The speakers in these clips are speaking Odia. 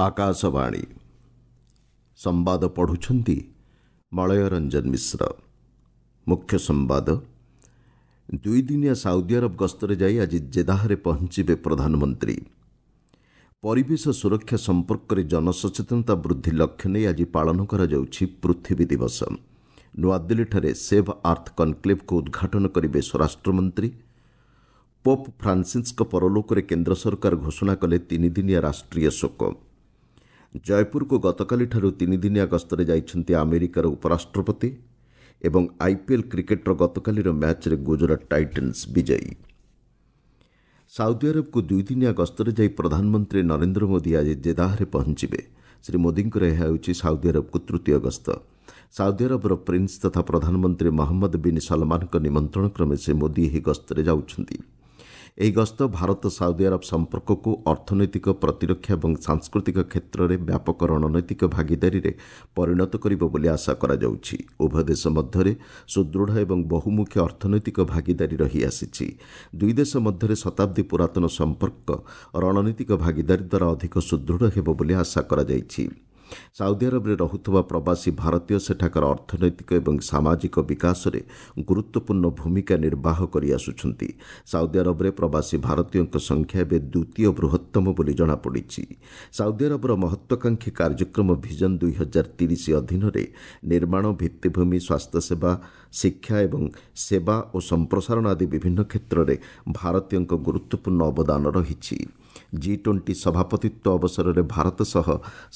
ଆକାଶବାଣୀ ସମ୍ବାଦ ପଢ଼ୁଛନ୍ତି ମଳୟ ରଞ୍ଜନ ମିଶ୍ର। ମୁଖ୍ୟ ସମ୍ବାଦ। ଦୁଇଦିନିଆ ସାଉଦି ଆରବ ଗସ୍ତରେ ଯାଇ ଆଜି ଜେଦାହରେ ପହଞ୍ଚିବେ ପ୍ରଧାନମନ୍ତ୍ରୀ। ପରିବେଶ ସୁରକ୍ଷା ସମ୍ପର୍କରେ ଜନସଚେତନତା ବୃଦ୍ଧି ଲକ୍ଷ୍ୟ ନେଇ ଆଜି ପାଳନ କରାଯାଉଛି ପୃଥିବୀ ଦିବସ। ନୂଆଦିଲ୍ଲୀଠାରେ ସେଭ୍ ଆର୍ଥ କନ୍କ୍ଲେଭ୍କୁ ଉଦ୍ଘାଟନ କରିବେ ସ୍ୱରାଷ୍ଟ୍ରମନ୍ତ୍ରୀ। ପୋପ୍ ଫ୍ରାନ୍ସିସ୍ଙ୍କ ପରଲୋକରେ କେନ୍ଦ୍ର ସରକାର ଘୋଷଣା କଲେ ତିନିଦିନିଆ ରାଷ୍ଟ୍ରୀୟ ଶୋକ। ଜୟପୁରକୁ ଗତକାଲିଠାରୁ ତିନିଦିନିଆ ଗସ୍ତରେ ଯାଇଛନ୍ତି ଆମେରିକାର ଉପରାଷ୍ଟ୍ରପତି। ଏବଂ ଆଇପିଏଲ୍ କ୍ରିକେଟ୍ର ଗତକାଲିର ମ୍ୟାଚ୍ରେ ଗୁଜରାଟ ଟାଇଟନ୍ସ ବିଜୟୀ। ସାଉଦି ଆରବକୁ ଦୁଇଦିନିଆ ଗସ୍ତରେ ଯାଇ ପ୍ରଧାନମନ୍ତ୍ରୀ ନରେନ୍ଦ୍ର ମୋଦି ଆଜି ଜେଦାହରେ ପହଞ୍ଚିବେ। ଶ୍ରୀ ମୋଦିଙ୍କର ଏହା ହେଉଛି ସାଉଦି ଆରବକୁ ତୃତୀୟ ଗସ୍ତ। ସାଉଦି ଆରବର ପ୍ରିନ୍ସ ତଥା ପ୍ରଧାନମନ୍ତ୍ରୀ ମହମ୍ମଦ ବିନ୍ ସଲମାନଙ୍କ ନିମନ୍ତ୍ରଣ କ୍ରମେ ଶ୍ରୀ ମୋଦି ଏହି ଗସ୍ତରେ ଯାଉଛନ୍ତି। ଏହି ଗସ୍ତ ଭାରତ ସାଉଦି ଆରବ ସମ୍ପର୍କକୁ ଅର୍ଥନୈତିକ, ପ୍ରତିରକ୍ଷା ଏବଂ ସାଂସ୍କୃତିକ କ୍ଷେତ୍ରରେ ବ୍ୟାପକ ରଣନୈତିକ ଭାଗିଦାରୀରେ ପରିଣତ କରିବ ବୋଲି ଆଶା କରାଯାଉଛି। ଉଭୟ ଦେଶ ମଧ୍ୟରେ ସୁଦୃଢ଼ ଏବଂ ବହୁମୁଖୀ ଅର୍ଥନୈତିକ ଭାଗିଦାରୀ ରହିଆସିଛି। ଦୁଇ ଦେଶ ମଧ୍ୟରେ ଶତାବ୍ଦୀ ପୁରାତନ ସମ୍ପର୍କ ରଣନୀତିକ ଭାଗିଦାରୀ ଦ୍ୱାରା ଅଧିକ ସୁଦୃଢ଼ ହେବ ବୋଲି ଆଶା କରାଯାଇଛି। ସାଉଦି ଆରବରେ ରହୁଥିବା ପ୍ରବାସୀ ଭାରତୀୟ ସେଠାକାର ଅର୍ଥନୈତିକ ଏବଂ ସାମାଜିକ ବିକାଶରେ ଗୁରୁତ୍ୱପୂର୍ଣ୍ଣ ଭୂମିକା ନିର୍ବାହ କରିଆସୁଛନ୍ତି। ସାଉଦି ଆରବରେ ପ୍ରବାସୀ ଭାରତୀୟଙ୍କ ସଂଖ୍ୟା ଏବେ ଦ୍ୱିତୀୟ ବୃହତ୍ତମ ବୋଲି ଜଣାପଡ଼ିଛି। ସାଉଦି ଆରବର ମହତ୍ୱାକାଂକ୍ଷୀ କାର୍ଯ୍ୟକ୍ରମ ଭିଜନ 2030 ଅଧୀନରେ ନିର୍ମାଣ, ଭିତ୍ତିଭୂମି, ସ୍ୱାସ୍ଥ୍ୟସେବା, ଶିକ୍ଷା ଏବଂ ସେବା ଓ ସମ୍ପ୍ରସାରଣ ଆଦି ବିଭିନ୍ନ କ୍ଷେତ୍ରରେ ଭାରତୀୟଙ୍କ ଗୁରୁତ୍ୱପୂର୍ଣ୍ଣ ଅବଦାନ ରହିଛି। ଜି-20 ସଭାପତିତ୍ୱ ଅବସରରେ ଭାରତ ସହ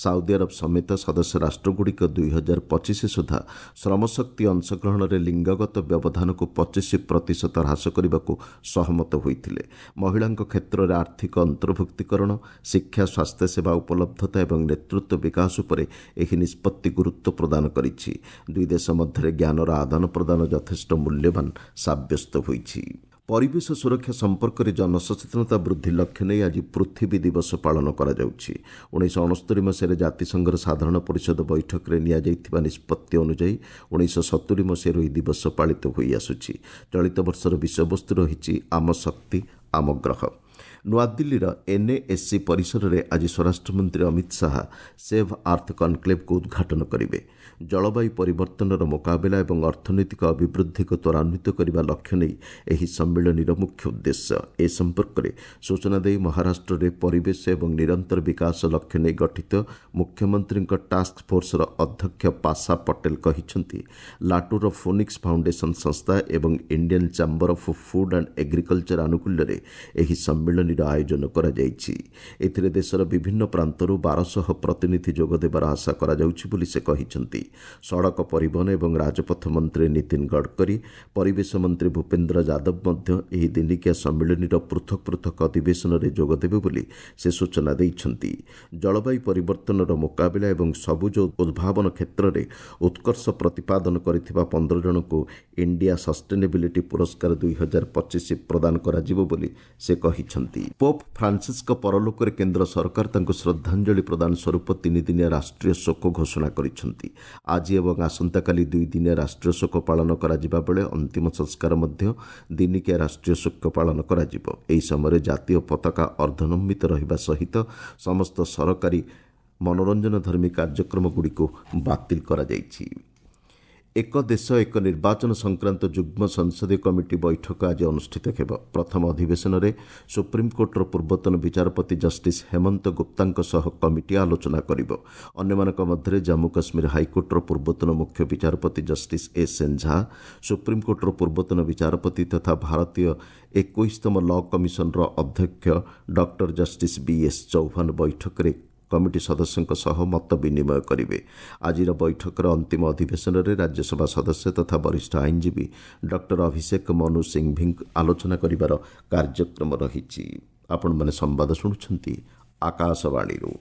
ସାଉଦି ଆରବ ସମେତ ସଦସ୍ୟ ରାଷ୍ଟ୍ରଗୁଡ଼ିକ 2025 ସୁଦ୍ଧା ଶ୍ରମଶକ୍ତି ଅଂଶଗ୍ରହଣରେ ଲିଙ୍ଗଗତ ବ୍ୟବଧାନକୁ 25% ହ୍ରାସ କରିବାକୁ ସହମତ ହୋଇଥିଲେ। ମହିଳାଙ୍କ କ୍ଷେତ୍ରରେ ଆର୍ଥିକ ଅନ୍ତର୍ଭୁକ୍ତୀକରଣ, ଶିକ୍ଷା, ସ୍ୱାସ୍ଥ୍ୟସେବା ଉପଲବ୍ଧତା ଏବଂ ନେତୃତ୍ୱ ବିକାଶ ଉପରେ ଏହି ନିଷ୍ପତ୍ତି ଗୁରୁତ୍ୱ ପ୍ରଦାନ କରିଛି। ଦୁଇ ଦେଶ ମଧ୍ୟରେ ଜ୍ଞାନର ଆଦାନ ପ୍ରଦାନ ଯଥେଷ୍ଟ ମୂଲ୍ୟବାନ ସାବ୍ୟସ୍ତ ହୋଇଛି। ପରିବେଶ ସୁରକ୍ଷା ସମ୍ପର୍କରେ ଜନସଚେତନତା ବୃଦ୍ଧି ଲକ୍ଷ୍ୟ ନେଇ ଆଜି ପୃଥିବୀ ଦିବସ ପାଳନ କରାଯାଉଛି। 1969 ମସିହାରେ ଜାତିସଂଘର ସାଧାରଣ ପରିଷଦ ବୈଠକରେ ନିଆଯାଇଥିବା ନିଷ୍ପତ୍ତି ଅନୁଯାୟୀ 1970 ମସିହାରୁ ଏହି ଦିବସ ପାଳିତ ହୋଇଆସୁଛି। ଚଳିତ ବର୍ଷର ବିଷୟବସ୍ତୁ ରହିଛି ଆମ ଶକ୍ତି ଆମ ଗ୍ରହ। ନୂଆଦିଲ୍ଲୀର ଏନ୍ଏଏସ୍ସି ପରିସରରେ ଆଜି ସ୍ୱରାଷ୍ଟ୍ରମନ୍ତ୍ରୀ ଅମିତ ଶାହା ସେଭ୍ ଆର୍ଥ କନ୍କ୍ଲେଭ୍କୁ ଉଦ୍ଘାଟନ କରିବେ। ଜଳବାୟୁ ପରିବର୍ତ୍ତନର ମୁକାବିଲା ଏବଂ ଅର୍ଥନୈତିକ ଅଭିବୃଦ୍ଧିକୁ ତ୍ୱରାନ୍ୱିତ କରିବା ଲକ୍ଷ୍ୟ ନେଇ ଏହି ସମ୍ମିଳନୀର ମୁଖ୍ୟ ଉଦ୍ଦେଶ୍ୟ। ଏ ସମ୍ପର୍କରେ ସୂଚନା ଦେଇ ମହାରାଷ୍ଟ୍ରରେ ପରିବେଶ ଏବଂ ନିରନ୍ତର ବିକାଶ ଲକ୍ଷ୍ୟ ନେଇ ଗଠିତ ମୁଖ୍ୟମନ୍ତ୍ରୀଙ୍କ ଟାସ୍କ ଫୋର୍ସର ଅଧ୍ୟକ୍ଷ ପାଶା ପଟେଲ କହିଛନ୍ତି, ଲାଟୁର ଫୋନିକ୍ସ ଫାଉଣ୍ଡେସନ ସଂସ୍ଥା ଏବଂ Indian chamber of food and agriculture ଆନୁକୂଲ୍ୟରେ ଏହି ସମ୍ମିଳନୀର ଆୟୋଜନ କରାଯାଇଛି। ଏଥିରେ ଦେଶର ବିଭିନ୍ନ ପ୍ରାନ୍ତରୁ 1200 ପ୍ରତିନିଧି ଯୋଗଦେବାର ଆଶା କରାଯାଉଛି ବୋଲି ସେ କହିଛନ୍ତି। ସଡ଼କ ପରିବହନ ଏବଂ ରାଜପଥ ମନ୍ତ୍ରୀ ନୀତିନ ଗଡ଼କରୀ, ପରିବେଶ ମନ୍ତ୍ରୀ ଭୂପେନ୍ଦ୍ର ଯାଦବ ମଧ୍ୟ ଏହି ଦିନିକିଆ ସମ୍ମିଳନୀର ପୃଥକ ପୃଥକ ଅଧିବେଶନରେ ଯୋଗଦେବେ ବୋଲି ସେ ସୂଚନା ଦେଇଛନ୍ତି। ଜଳବାୟୁ ପରିବର୍ତ୍ତନର ମୁକାବିଲା ଏବଂ ସବୁଜ ଉଦ୍ଭାବନ କ୍ଷେତ୍ରରେ ଉତ୍କର୍ଷ ପ୍ରତିପାଦନ କରିଥିବା 15 ଜଣଙ୍କୁ ଇଣ୍ଡିଆ ସଷ୍ଟେନେବିଲିଟି ପୁରସ୍କାର 2025 ପ୍ରଦାନ କରାଯିବ ବୋଲି ସେ କହିଛନ୍ତି। ପୋପ୍ ଫ୍ରାନ୍ସିସ୍ଙ୍କ ପରଲୋକରେ କେନ୍ଦ୍ର ସରକାର ତାଙ୍କୁ ଶ୍ରଦ୍ଧାଞ୍ଜଳି ପ୍ରଦାନ ସ୍ୱରୂପ ତିନିଦିନିଆ ରାଷ୍ଟ୍ରୀୟ ଶୋକ ଘୋଷଣା କରିଛନ୍ତି। ଆଜି ଏବଂ ଆସନ୍ତାକାଲି ଦୁଇଦିନିଆ ରାଷ୍ଟ୍ରୀୟ ଶୋକ ପାଳନ କରାଯିବା ବେଳେ ଅନ୍ତିମ ସଂସ୍କାର ମଧ୍ୟ ଦିନିକିଆ ରାଷ୍ଟ୍ରୀୟ ଶୋକ ପାଳନ କରାଯିବ। ଏହି ସମୟରେ ଜାତୀୟ ପତାକା ଅର୍ଦ୍ଧନମିତ ରହିବା ସହିତ ସମସ୍ତ ସରକାରୀ ମନୋରଞ୍ଜନଧର୍ମୀ କାର୍ଯ୍ୟକ୍ରମଗୁଡ଼ିକୁ ବାତିଲ କରାଯାଇଛି। ଏକ ଦେଶ ଏକ ନିର୍ବାଚନ ସଂକ୍ରାନ୍ତ ଯୁଗ୍ମ ସଂସଦୀୟ କମିଟି ବୈଠକ ଆଜି ଅନୁଷ୍ଠିତ ହେବ। ପ୍ରଥମ ଅଧିବେଶନରେ ସୁପ୍ରିମକୋର୍ଟର ପୂର୍ବତନ ବିଚାରପତି ଜଷ୍ଟିସ୍ ହେମନ୍ତ ଗୁପ୍ତାଙ୍କ ସହ କମିଟି ଆଲୋଚନା କରିବ। ଅନ୍ୟମାନଙ୍କ ମଧ୍ୟରେ ଜାମ୍ମୁ କାଶ୍ମୀର ହାଇକୋର୍ଟର ପୂର୍ବତନ ମୁଖ୍ୟ ବିଚାରପତି ଜଷ୍ଟିସ୍ ଏସ୍ ଏନ୍ ଝା, ସୁପ୍ରିମକୋର୍ଟର ପୂର୍ବତନ ବିଚାରପତି ତଥା ଭାରତୀୟ 21ତମ ଲ କମିଶନର ଅଧ୍ୟକ୍ଷ doctor justice B S Chauhan ବୈଠକରେ କମିଟି ସଦସ୍ୟଙ୍କ ସହ ମତ ବିନିମୟ କରିବେ। ଆଜିର ବୈଠକର ଅନ୍ତିମ ଅଧିବେଶନରେ ରାଜ୍ୟସଭା ସଦସ୍ୟ ତଥା ବରିଷ୍ଠ ଆଇନଜୀବୀ ଡକ୍ଟର ଅଭିଷେକ ମନୁ ସିଂଭିଙ୍କ ଆଲୋଚନା କରିବାର କାର୍ଯ୍ୟକ୍ରମ ରହିଛି। ଆପଣମାନେ ସମ୍ବାଦ ଶୁଣୁଛନ୍ତି ଆକାଶବାଣୀରୁ।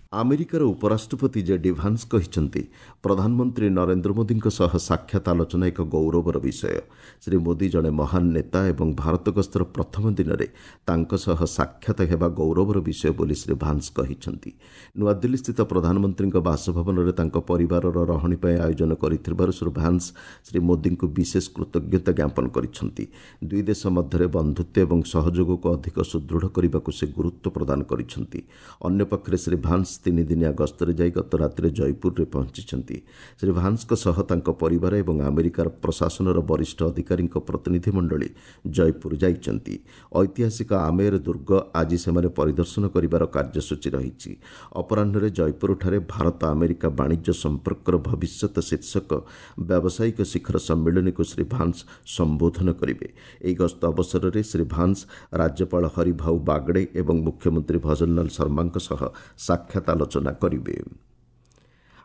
ଆମେରିକାର ଉପରାଷ୍ଟ୍ରପତି ଜେ ଡି ଭାନ୍ସ କହିଛନ୍ତି, ପ୍ରଧାନମନ୍ତ୍ରୀ ନରେନ୍ଦ୍ର ମୋଦିଙ୍କ ସହ ସାକ୍ଷାତ ଆଲୋଚନା ଏକ ଗୌରବର ବିଷୟ। ଶ୍ରୀ ମୋଦି ଜଣେ ମହାନ ନେତା ଏବଂ ଭାରତ ଗସ୍ତର ପ୍ରଥମ ଦିନରେ ତାଙ୍କ ସହ ସାକ୍ଷାତ ହେବା ଗୌରବର ବିଷୟ ବୋଲି ଶ୍ରୀ ଭାନ୍ସ କହିଛନ୍ତି। ନୂଆଦିଲ୍ଲୀସ୍ଥିତ ପ୍ରଧାନମନ୍ତ୍ରୀଙ୍କ ବାସଭବନରେ ତାଙ୍କ ପରିବାରର ରହଣି ପାଇଁ ଆୟୋଜନ କରିଥିବାରୁ ଶ୍ରୀ ଭାନ୍ସ ଶ୍ରୀ ମୋଦିଙ୍କୁ ବିଶେଷ କୃତଜ୍ଞତା ଜ୍ଞାପନ କରିଛନ୍ତି। ଦୁଇ ଦେଶ ମଧ୍ୟରେ ବନ୍ଧୁତ୍ୱ ଏବଂ ସହଯୋଗକୁ ଅଧିକ ସୁଦୃଢ଼ କରିବାକୁ ସେ ଗୁରୁତ୍ୱ ପ୍ରଦାନ କରିଛନ୍ତି। ଅନ୍ୟପକ୍ଷରେ ଶ୍ରୀ ଭାନ୍ସ ତିନିଦିନିଆ ଗସ୍ତରେ ଯାଇ ଗତ ରାତିରେ ଜୟପୁରରେ ପହଞ୍ଚିଛନ୍ତି। ଶ୍ରୀ ଭାନ୍ସଙ୍କ ସହ ତାଙ୍କ ପରିବାର ଏବଂ ଆମେରିକାର ପ୍ରଶାସନର ବରିଷ୍ଠ ଅଧିକାରୀଙ୍କ ପ୍ରତିନିଧିମଣ୍ଡଳୀ ଜୟପୁର ଯାଇଛନ୍ତି। ଐତିହାସିକ ଆମେର ଦୁର୍ଗ ଆଜି ସେମାନେ ପରିଦର୍ଶନ କରିବାର କାର୍ଯ୍ୟସୂଚୀ ରହିଛି। ଅପରାହ୍ନରେ ଜୟପୁରଠାରେ ଭାରତ ଆମେରିକା ବାଣିଜ୍ୟ ସମ୍ପର୍କର ଭବିଷ୍ୟତ ଶୀର୍ଷକ ବ୍ୟାବସାୟିକ ଶିଖର ସମ୍ମିଳନୀକୁ ଶ୍ରୀ ଭାନ୍ସ ସମ୍ବୋଧନ କରିବେ। ଏହି ଗସ୍ତ ଅବସରରେ ଶ୍ରୀ ଭାନ୍ସ ରାଜ୍ୟପାଳ ହରିଭାଉ ବାଗଡ଼େ ଏବଂ ମୁଖ୍ୟମନ୍ତ୍ରୀ ଭଜନଲାଲ ଶର୍ମାଙ୍କ ସହ ସାକ୍ଷାତ ଆଲୋଚନା କରିବେ।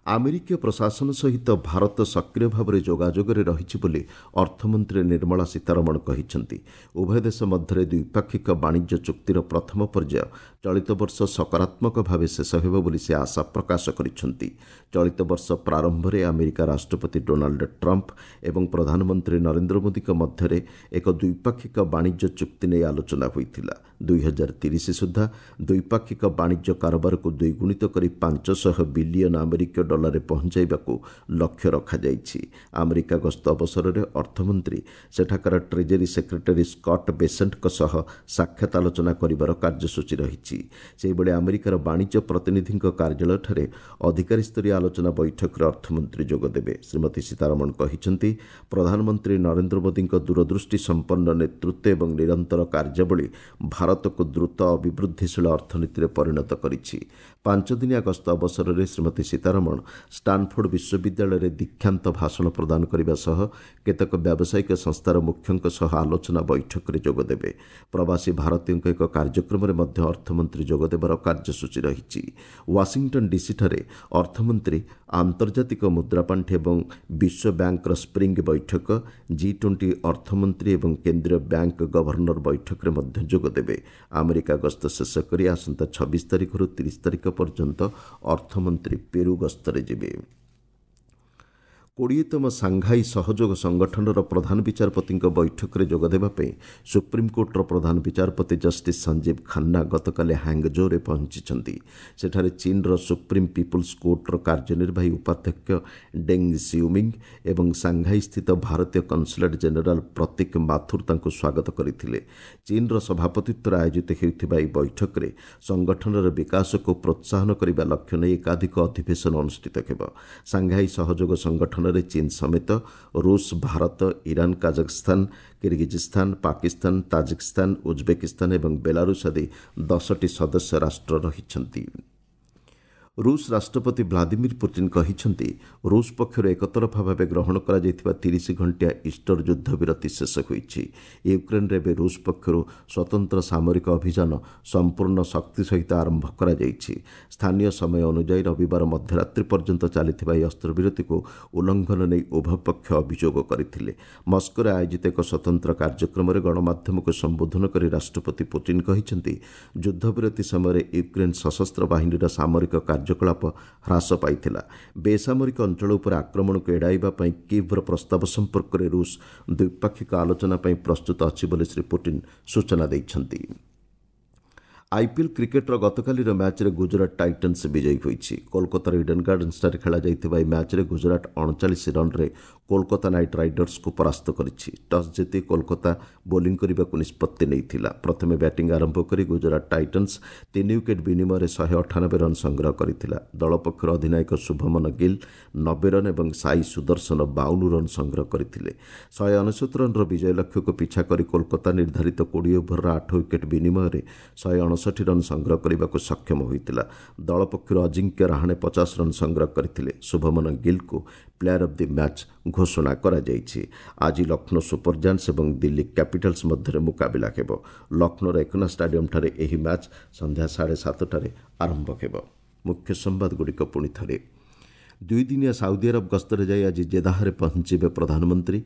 ଆମେରିକୀୟ ପ୍ରଶାସନ ସହିତ ଭାରତ ସକ୍ରିୟ ଭାବରେ ଯୋଗାଯୋଗରେ ରହିଛି ବୋଲି ଅର୍ଥମନ୍ତ୍ରୀ ନିର୍ମଳା ସୀତାରମଣ କହିଛନ୍ତି। ଉଭୟ ଦେଶ ମଧ୍ୟରେ ଦ୍ୱିପାକ୍ଷିକ ବାଣିଜ୍ୟ ଚୁକ୍ତିର ପ୍ରଥମ ପର୍ଯ୍ୟାୟ ଚଳିତ ବର୍ଷ ସକାରାତ୍ମକ ଭାବେ ଶେଷ ହେବ ବୋଲି ସେ ଆଶା ପ୍ରକାଶ କରିଛନ୍ତି। ଚଳିତ ବର୍ଷ ପ୍ରାରମ୍ଭରେ ଆମେରିକା ରାଷ୍ଟ୍ରପତି ଡୋନାଲ୍ଡ ଟ୍ରମ୍ପ ଏବଂ ପ୍ରଧାନମନ୍ତ୍ରୀ ନରେନ୍ଦ୍ର ମୋଦିଙ୍କ ମଧ୍ୟରେ ଏକ ଦ୍ୱିପାକ୍ଷିକ ବାଣିଜ୍ୟ ଚୁକ୍ତି ନେଇ ଆଲୋଚନା ହୋଇଥିଲା। 2030 ସୁଦ୍ଧା ଦ୍ୱିପାକ୍ଷିକ ବାଣିଜ୍ୟ କାରବାରକୁ ଦ୍ୱିଗୁଣିତ କରି 500 ବିଲିୟନ ଆମେରିକୀୟ ଡଲାରରେ ପହଞ୍ଚାଇବାକୁ ଲକ୍ଷ୍ୟ ରଖାଯାଇଛି। ଆମେରିକା ଗସ୍ତ ଅବସରରେ ଅର୍ଥମନ୍ତ୍ରୀ ସେଠାକାର ଟ୍ରେଜେରୀ ସେକ୍ରେଟାରୀ ସ୍କଟ୍ ବେସେଣ୍ଟଙ୍କ ସହ ସାକ୍ଷାତ ଆଲୋଚନା କରିବାର କାର୍ଯ୍ୟସୂଚୀ ରହିଛି। ସେହିଭଳି ଆମେରିକାର ବାଣିଜ୍ୟ ପ୍ରତିନିଧିଙ୍କ କାର୍ଯ୍ୟାଳୟଠାରେ ଅଧିକାରୀସ୍ତରୀୟ ଆଲୋଚନା ବୈଠକରେ ଅର୍ଥମନ୍ତ୍ରୀ ଯୋଗଦେବେ। ଶ୍ରୀମତୀ ସୀତାରମଣ କହିଛନ୍ତି, ପ୍ରଧାନମନ୍ତ୍ରୀ ନରେନ୍ଦ୍ର ମୋଦିଙ୍କ ଦୂରଦୃଷ୍ଟି ସମ୍ପନ୍ନ ନେତୃତ୍ୱ ଏବଂ ନିରନ୍ତର କାର୍ଯ୍ୟାବଳୀ ଭାରତକୁ ଦ୍ରୁତ ଅଭିବୃଦ୍ଧିଶୀଳ ଅର୍ଥନୀତିରେ ପରିଣତ କରିଛି। ପାଞ୍ଚଦିନିଆ ଗସ୍ତ ଅବସରରେ ଶ୍ରୀମତୀ ସୀତାରମଣ ଷ୍ଟାନଫୋର୍ଡ ବିଶ୍ୱବିଦ୍ୟାଳୟରେ ଦୀକ୍ଷାନ୍ତ ଭାଷଣ ପ୍ରଦାନ କରିବା ସହ କେତେକ ବ୍ୟାବସାୟିକ ସଂସ୍ଥାର ମୁଖ୍ୟଙ୍କ ସହ ଆଲୋଚନା ବୈଠକରେ ଯୋଗଦେବେ। ପ୍ରବାସୀ ଭାରତୀୟଙ୍କ ଏକ କାର୍ଯ୍ୟକ୍ରମରେ ମଧ୍ୟ ଅର୍ଥମନ୍ତ୍ରୀ ଯୋଗଦେବାର କାର୍ଯ୍ୟସୂଚୀ ରହିଛି। ୱାଶିଂଟନ୍ ଡିସିଠାରେ ଅର୍ଥମନ୍ତ୍ରୀ ଆନ୍ତର୍ଜାତିକ ମୁଦ୍ରାପାଣ୍ଠି ଏବଂ ବିଶ୍ୱ ବ୍ୟାଙ୍କର ସ୍ପ୍ରିଙ୍ଗ ବୈଠକ, ଜି-20 ଅର୍ଥମନ୍ତ୍ରୀ ଏବଂ କେନ୍ଦ୍ରୀୟ ବ୍ୟାଙ୍କ ଗଭର୍ଣ୍ଣର ବୈଠକରେ ମଧ୍ୟ ଯୋଗଦେବେ। ଆମେରିକା ଗସ୍ତ ଶେଷ କରି ଆସନ୍ତା 26 ତାରିଖରୁ 30 ତାରିଖ ପର୍ଯ୍ୟନ୍ତ ଅର୍ଥମନ୍ତ୍ରୀ ପେରୁ ଗସ୍ତରେ ଯିବେ। 20ତମ ସାଂଘାଇ ସହଯୋଗ ସଂଗଠନର ପ୍ରଧାନ ବିଚାରପତିଙ୍କ ବୈଠକରେ ଯୋଗଦେବା ପାଇଁ ସୁପ୍ରିମକୋର୍ଟର ପ୍ରଧାନ ବିଚାରପତି ଜଷ୍ଟିସ୍ ସଞ୍ଜୀବ ଖାନ୍ନା ଗତକାଲି ହାଙ୍ଗଜୋରେ ପହଞ୍ଚିଛନ୍ତି। ସେଠାରେ ଚୀନର ସୁପ୍ରିମ ପିପୁଲ୍ସ କୋର୍ଟର କାର୍ଯ୍ୟନିର୍ବାହୀ ଉପାଧ୍ୟକ୍ଷ ଡେଙ୍ଗ ସିୟୁମିଙ୍ଗ ଏବଂ ସାଂଘାଇସ୍ଥିତ ଭାରତୀୟ କନସୁଲେଟ୍ ଜେନେରାଲ ପ୍ରତୀକ ମାଥୁର ତାଙ୍କୁ ସ୍ୱାଗତ କରିଥିଲେ। ଚୀନର ସଭାପତିତ୍ୱରେ ଆୟୋଜିତ ହେଉଥିବା ଏହି ବୈଠକରେ ସଂଗଠନର ବିକାଶକୁ ପ୍ରୋତ୍ସାହନ କରିବା ଲକ୍ଷ୍ୟ ନେଇ ଏକାଧିକ ଅଧିବେଶନ ଅନୁଷ୍ଠିତ ହେବ। ସାଂଘାଇ ସହଯୋଗ ସଂଗଠନ ଚୀନ ସମେତ ରୁଷ, Bharat, Iran, Kazakhstan, Kyrgyzstan, Pakistan, Tajikistan, Uzbekistan ଏବଂ ବେଲାରୁଷ ଆଦି 10ଟି ସଦସ୍ୟ ରାଷ୍ଟ୍ର ରହିଛନ୍ତି। ରୁଷ ରାଷ୍ଟ୍ରପତି ଭ୍ଲାଦିମିର ପୁଟିନ୍ କହିଛନ୍ତି, ରୁଷ ପକ୍ଷରୁ ଏକତରଫା ଭାବେ ଗ୍ରହଣ କରାଯାଇଥିବା 30 ଘଣ୍ଟିଆ ଇଷ୍ଟର ଯୁଦ୍ଧବିରତି ଶେଷ ହୋଇଛି। ୟୁକ୍ରେନ୍ରେ ଏବେ ରୁଷ ପକ୍ଷରୁ ସ୍ୱତନ୍ତ୍ର ସାମରିକ ଅଭିଯାନ ସମ୍ପୂର୍ଣ୍ଣ ଶକ୍ତି ସହିତ ଆରମ୍ଭ କରାଯାଇଛି। ସ୍ଥାନୀୟ ସମୟ ଅନୁଯାୟୀ ରବିବାର ମଧ୍ୟରାତ୍ରି ପର୍ଯ୍ୟନ୍ତ ଚାଲିଥିବା ଏହି ଅସ୍ତ୍ରବିରତିକୁ ଉଲ୍ଲଂଘନ ନେଇ ଉଭୟ ପକ୍ଷ ଅଭିଯୋଗ କରିଥିଲେ। ମସ୍କୋରେ ଆୟୋଜିତ ଏକ ସ୍ୱତନ୍ତ୍ର କାର୍ଯ୍ୟକ୍ରମରେ ଗଣମାଧ୍ୟମକୁ ସମ୍ବୋଧନ କରି ରାଷ୍ଟ୍ରପତି ପୁଟିନ୍ କହିଛନ୍ତି, ଯୁଦ୍ଧବିରତି ସମୟରେ ୟୁକ୍ରେନ୍ ସଶସ୍ତ୍ର ବାହିନୀର ସାମରିକ କାର୍ଯ୍ୟକଳାପ ହ୍ରାସ ପାଇଥିଲା। ବେସାମରିକ ଅଞ୍ଚଳ ଉପରେ ଆକ୍ରମଣକୁ ଏଡ଼ାଇବା ପାଇଁ କିଭ୍ର ପ୍ରସ୍ତାବ ସମ୍ପର୍କରେ ରୁଷ ଦ୍ୱିପାକ୍ଷିକ ଆଲୋଚନା ପାଇଁ ପ୍ରସ୍ତୁତ ଅଛି ବୋଲି ଶ୍ରୀ ପୁଟିନ୍ ସୂଚନା ଦେଇଛନ୍ତି। ଆଇପିଏଲ୍ କ୍ରିକେଟ୍ର ଗତକାଲିର ମ୍ୟାଚ୍ରେ ଗୁଜରାଟ ଟାଇଟନ୍ସ ବିଜୟୀ ହୋଇଛି। କୋଲକାତାର ଇଡେନ୍ ଗାର୍ଡେନ୍ସଠାରେ ଖେଳାଯାଇଥିବା ଏହି ମ୍ୟାଚ୍ରେ ଗୁଜରାଟ 39 ରନ୍ରେ କୋଲକାତା ନାଇଟ୍ ରାଇଡର୍ସକୁ ପରାସ୍ତ କରିଛି। ଟସ୍ ଜିତି କୋଲକାତା ବୋଲିଂ କରିବାକୁ ନିଷ୍ପତ୍ତି ନେଇଥିଲା। ପ୍ରଥମେ ବ୍ୟାଟିଂ ଆରମ୍ଭ କରି ଗୁଜରାଟ ଟାଇଟନ୍ସ 3 ୱିକେଟ୍ ବିନିମୟରେ 198 ରନ୍ ସଂଗ୍ରହ କରିଥିଲା। ଦଳ ପକ୍ଷରୁ ଅଧିନାୟକ ଶୁଭମନ ଗିଲ୍ 90 ରନ୍ ଏବଂ ସାଇ ସୁଦର୍ଶନ 52 ରନ୍ ସଂଗ୍ରହ କରିଥିଲେ। 199 ରନ୍ର ବିଜୟ ଲକ୍ଷ୍ୟକୁ ପିଛା କରି କୋଲକାତା ନିର୍ଦ୍ଧାରିତ 20 ଓଭରର 8 ୱିକେଟ୍ ବିନିମୟରେ 159 ରନ୍ ସଂଗ୍ରହ କରିବାକୁ ସକ୍ଷମ ହୋଇଥିଲା। ଦଳ ପକ୍ଷରୁ ଅଜିଙ୍କ୍ୟ ରାହାଣେ 50 ରନ୍ ସଂଗ୍ରହ କରିଥିଲେ। ଶୁଭମନ ଗିଲ୍କୁ ପ୍ଲେୟାର ଅଫ୍ the match ଘୋଷଣା କରାଯାଇଛି। ଆଜି ଲକ୍ଷ୍ନୌ ସୁପର ଜାୟାଣ୍ଟସ୍ ଏବଂ ଦିଲ୍ଲୀ କ୍ୟାପିଟାଲ୍ସ ମଧ୍ୟରେ ମୁକାବିଲା ହେବ। ଲକ୍ଷ୍ନୌର ଏକନା ଷ୍ଟାଡିୟମ୍ଠାରେ ଏହି ମ୍ୟାଚ୍ ସନ୍ଧ୍ୟା 7:30ରେ ଆରମ୍ଭ ହେବ। ମୁଖ୍ୟ ସମ୍ବାଦଗୁଡ଼ିକ ପୁଣି ଥରେ। ଦୁଇଦିନିଆ ସାଉଦି ଆରବ ଗସ୍ତରେ ଯାଇ ଆଜି ଜେଦାହରେ ପହଞ୍ଚିବେ ପ୍ରଧାନମନ୍ତ୍ରୀ।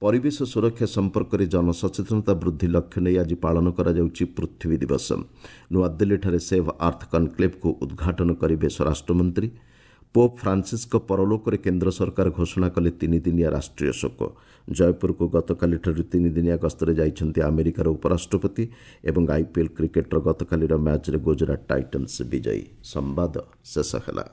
ପରିବେଶ ସୁରକ୍ଷା ସମ୍ପର୍କରେ ଜନସଚେତନତା ବୃଦ୍ଧି ଲକ୍ଷ୍ୟ ନେଇ ଆଜି ପାଳନ କରାଯାଉଛି ପୃଥିବୀ ଦିବସ। ନୂଆଦିଲ୍ଲୀଠାରେ ସେଭ୍ ଆର୍ଥ କନକ୍ଲେଭ୍କୁ ଉଦ୍ଘାଟନ କରିବେ ସ୍ୱରାଷ୍ଟ୍ରମନ୍ତ୍ରୀ। ପୋପ୍ ଫ୍ରାନ୍ସିସ୍ଙ୍କ ପରଲୋକରେ କେନ୍ଦ୍ର ସରକାର ଘୋଷଣା କଲେ 3 ଦିନିଆ ରାଷ୍ଟ୍ରୀୟ ଶୋକ। ଜୟପୁରକୁ ଗତକାଲିଠାରୁ 3 ଦିନିଆ ଗସ୍ତରେ ଯାଇଛନ୍ତି ଆମେରିକାର ଉପରାଷ୍ଟ୍ରପତି। ଏବଂ ଆଇପିଏଲ୍ କ୍ରିକେଟ୍ର ଗତକାଲିର ମ୍ୟାଚ୍ରେ ଗୁଜରାଟ ଟାଇଟନ୍ସ ବିଜୟୀ। ସମ୍ବାଦ ଶେଷ ହେଲା।